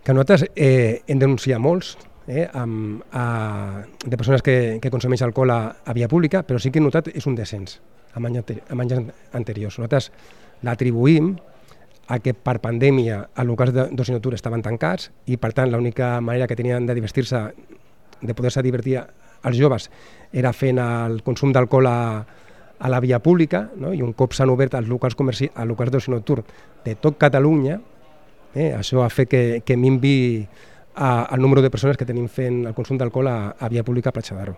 Que nosaltres hem denunciat molts de persones que consumeixen alcohol a via pública, però sí que hem notat és un descens amb anys anteriors. Nosaltres l'atribuïm a que per pandèmia els locals d'oci nocturn estaven tancats i per tant l'única manera que tenien de divertir-se, de poder-se divertir els joves era fent el consum d'alcohol a la via pública, no? I un cop s'han obert els locals d'oci nocturn de tot Catalunya, això ha fet que minvi el número de persones que tenim fent el consum d'alcohol a via pública a Platja d'Aro.